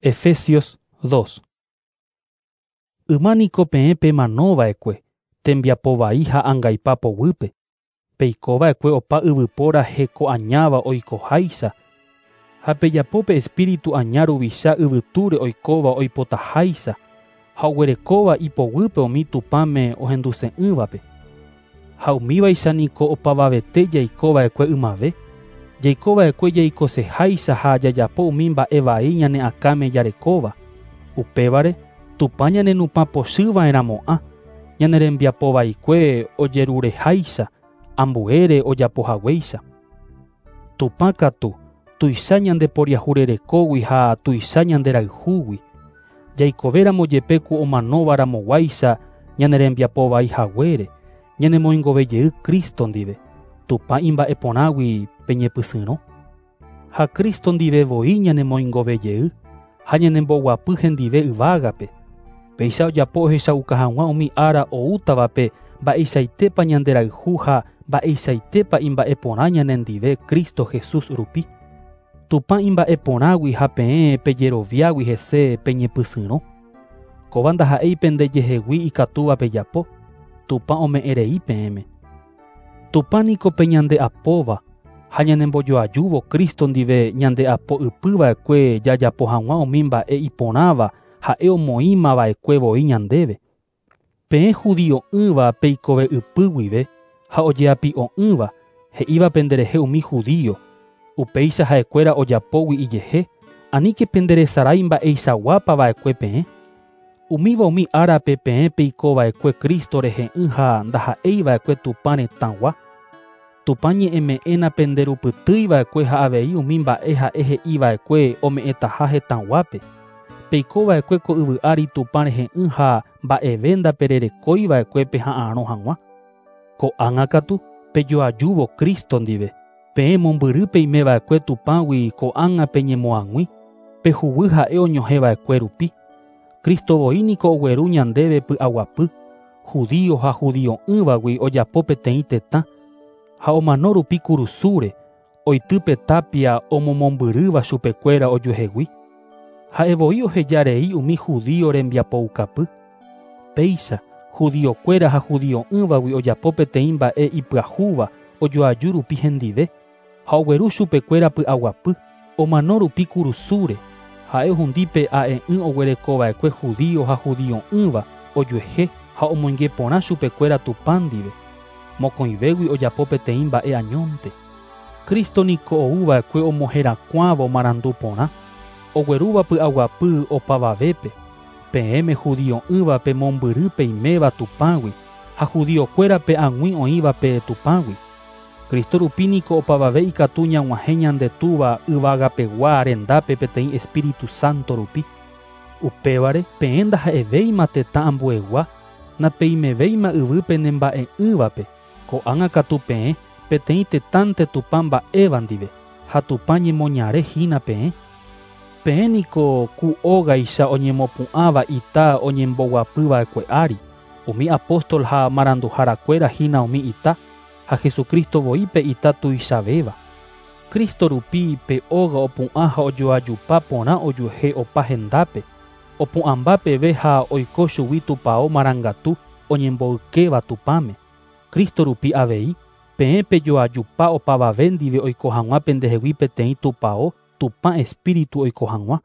Efesios 2. Yma niko peẽ pemanova'ekue, tembiapo vai ha angaipa poguýpe. Peikova'ekue opa yvypóra heko añáva oikoháicha ha pejapo pe espíritu aña ruvicha yvytúre oikóva oipotaháicha ha oguerekóva ipoguýpe umi Tupãme ohenduse'ỹvape. Ha umívaicha niko opavavete jaikova'ekue ymave, jaikova'ekue jaikoseháicha ha jajapo umi mba'e vai ñane akãme jarekóva. Upévare Tupã ñanenupã pochyva'erãmo'ã, ñane rembiapo vaikue ojerureháicha, ambuére ojapohaguéicha. Tupã katu tuicha ñandeporiahurerekógui ha tuicha ñanderayhúgui. Jaikovéramo jepe ku omanóvaramoguáicha ñane rembiapo vai haguére, ñanemoingovejey Cristo ndive. Tupã imba'eporãgui peñepysyrõ. Ha Cristo ndive voi ñanemoingovejey ha ñanemboguapy hendive yvágape. Péicha ojapo ohechauka hag̃ua umi ára oútavape mba'eichaitépa ñanderayhu ha mba'eichaitépa imba'eporã ñanendive Cristo Jesús rupi. Tupã imba'eporãgui ha peẽ pejeroviágui hese peñepysyrõ. Kóva ndaha'éi pendejehegui ikatúva pejapo, Tupã ome'ẽrei peẽme. Tupã niko pe ñande'apóva ha ñanembojoajúvo Cristo ndive ñande'apo ypyva'ekue jajapo hag̃ua umi mba'e iporãva ha'e omoĩmava'ekue voi ñandéve. Peẽ judio'ỹva peikove ypy guive ha ojeapi'o'ỹva he'íva penderehe umi judío, upéicha ha'ekuéra ojapógui ijehe, aníke penderesarái mba'eichaguápava'ekue peẽ. Umíva umi árape peẽ peikova'ekue Cristo rehe'ỹ ha ndaha'eiva'ekue Tupã retãgua. Tupã ñe'ẽme'ẽna penderupytýiva'ekue ha avei umi mba'e ha'e he'iva'ekue ome'ẽtaha hetãguápe. Peikova'ekue ko yvy ári Tupã rehe'ỹ ha mba'eve ndapererekóiva'ekue peha'arõ hag̃ua. Ko'ág̃a katu pejoajúvo Cristo ndive. Peẽ mombyry peimeva'ekue Tupãgui ko'ág̃a peñemoag̃ui, pehuguy ha'e oñohẽva'ekue rupi. Cristo voi niko ogueru ñandéve py'aguapy, judío ha judio'ỹvagui ojapo peteĩ tetã, ha omano rupi kurusúre, oity tapia omomombyrýva chupekuéra ojuehegui. Ha'e voi ohejarei umi judío rembiapoukapy. Péicha, judiokuéra ha judio'ỹvagui ojapo peteĩ mba'e ipyahúva ojoaju rupi hendive, ha ogueru chupekuéra py'aguapy, omano rupi kurusúre, ha'e ohundi pe a'e'ỹ oguerekova'ekue judío ha judio'ỹva ojuehe ha omoinge porã chupekuéra Tupã ndive. Mokõivégui ojapo peteĩ mba'e añónte. Cristo niko ouva'ekue omoherakuãvo marandu porã, oguerúva py'aguapy opavavépe, peẽme judio'ỹvape mombyry peiméva Tupãgui ha judiokuérape ag̃ui oĩvape Tupãgui. Cristo rupi niko opavave ikatu ñag̃uahẽ ñande Túva yvagapegua rendápe peteĩ Espíritu Santo rupi. Upévare peẽ ndaha'evéima tetã ambuegua, napeimevéima yvýpe nemba'e'ỹvape, ko'ág̃a katu peẽ peteĩ tetãnte Tupã mba'éva ndive ha Tupã ñemoñare hína peẽ. Peẽ niko ku ógaicha oñemopu'ãva ita oñemboguapyva'ekue ári, umi apóstol ha maranduharakuéra hína umi ita, ha Jesucristo voi pe ita tuichavéva. Cristo rupi pe óga opu'ã ha ojoajupa porã ojuehe opa hendápe, opu'ãmba peve ha oiko chugui tupão marangatu oñemboykéva Tupãme. Cristo rupi avei, peẽ pejoajupa opavave ndive oiko hag̃ua pendehegui peteĩ tupão Tupã Espíritu oiko hag̃ua.